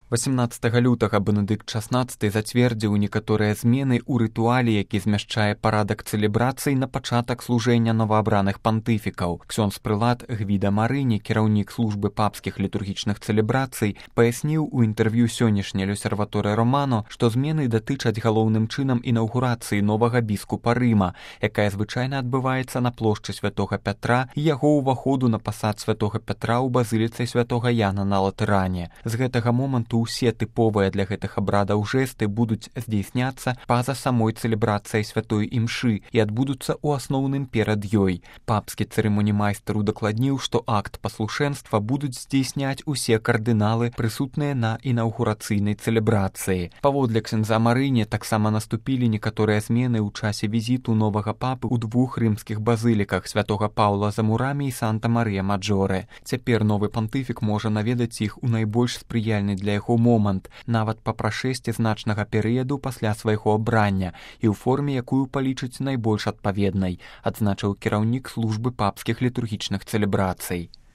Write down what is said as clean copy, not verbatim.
18 лютага Бенедыкт XVI зацвердзіў некаторыя змены ў рытуале, які змяшчае парадак цэлебрацый на пачатак служэння новаабраных пантыфікаў. Ксёндз-прылад Гвіда Марыні, кіраўнік службы папскіх літургічных цэлебрацый, паясніў у інтэрв'ю сённяшняй L'Osservatore Romano, што змены датычаць галоўным чынам інаўгурацыі новага біскупа Рыма, якая звычайна адбываецца на плошчы святога Пятра і яго ўваходу на пасад святога Пятра ў базыліцы святога Яна на Латэране. З гэтага моманту усе тыповыя для гэтых абрадаў жэсты будуць здзейсняцца па-за самой цэлебрацыяй святой імшы і адбудуцца ў асноўным перад ёй. Папскі цырымонімайстар удакладніў, што акт паслушэнства будуць здзейсняць усе кардыналы, прысутныя на інаўгурацыйнай цэлебрацыі. Паводле ксяндза Марыні таксама наступілі некаторыя змены ў часе візіту новага папы ў двух рымскіх базыліках святога Паўла за Мурамі і Санта-Марыя-Маджоре. Цяпер новы пантыфік можа наведаць іх у найбольш спрыяльны для яго момант, нават па прашэсці значнага перыяду пасля свайго абрання і ў форме, якую палічыць найбольш адпаведнай, адзначыў кіраўнік службы папскіх літургічных цэлебрацый.